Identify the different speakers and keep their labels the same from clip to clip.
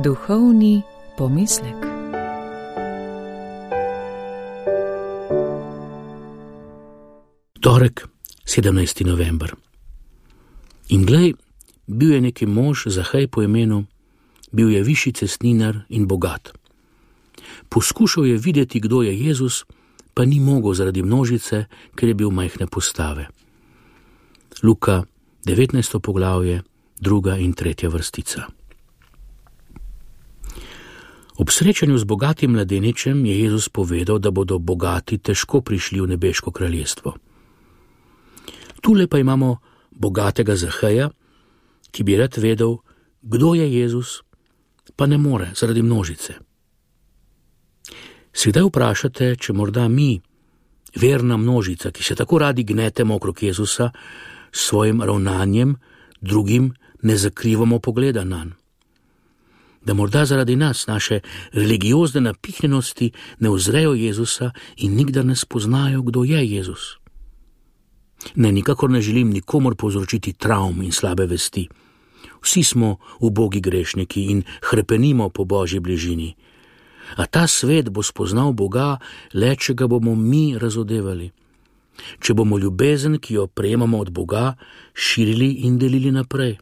Speaker 1: Duhovni pomislek.
Speaker 2: Torek, 17. november. In glej, bil je neki mož, Zahej po imenu, bil je višji cestninar in bogat. Poskušal je videti, kdo je Jezus, pa ni mogel zaradi množice, ker je bil majhne postave. Luka, 19. poglavje, 2. in 3. vrstica. Ob srečanju z bogatim mladeničem je Jezus povedal, da bodo bogati težko prišli v nebeško kraljestvo. Tule pa imamo bogatega Zaheja, ki bi rad vedel, kdo je Jezus, pa ne more zaradi množice. Se kdaj vprašate, če morda mi, verna množica, ki se tako radi gnetemo okrog Jezusa, s svojim ravnanjem drugim ne zakrivamo pogleda nanj? Da morda zaradi nas, naše religiozne napihnjenosti, ne uzrejo Jezusa in nikdar ne spoznajo, kdo je Jezus. Ne, nikakor ne želim nikomor povzročiti travm in slabe vesti. Vsi smo ubogi grešniki in hrepenimo po Božji bližini. A ta svet bo spoznal Boga le, če ga bomo mi razodevali. Če bomo ljubezen, ki jo prejemamo od Boga, širili in delili naprej.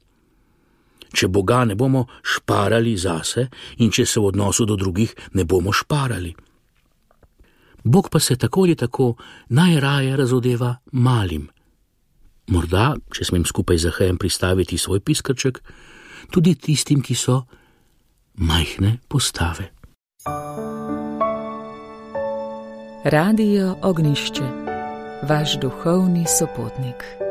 Speaker 2: Če Boga ne bomo šparali zase in če se v odnosu do drugih ne bomo šparali. Bog pa se tako ali tako najraje razodeva malim. Morda, če smem skupaj z Zahejem pristaviti svoj piskrček, tudi tistim, ki so majhne postave.
Speaker 1: Radio Ognjišče, vaš duhovni sopotnik.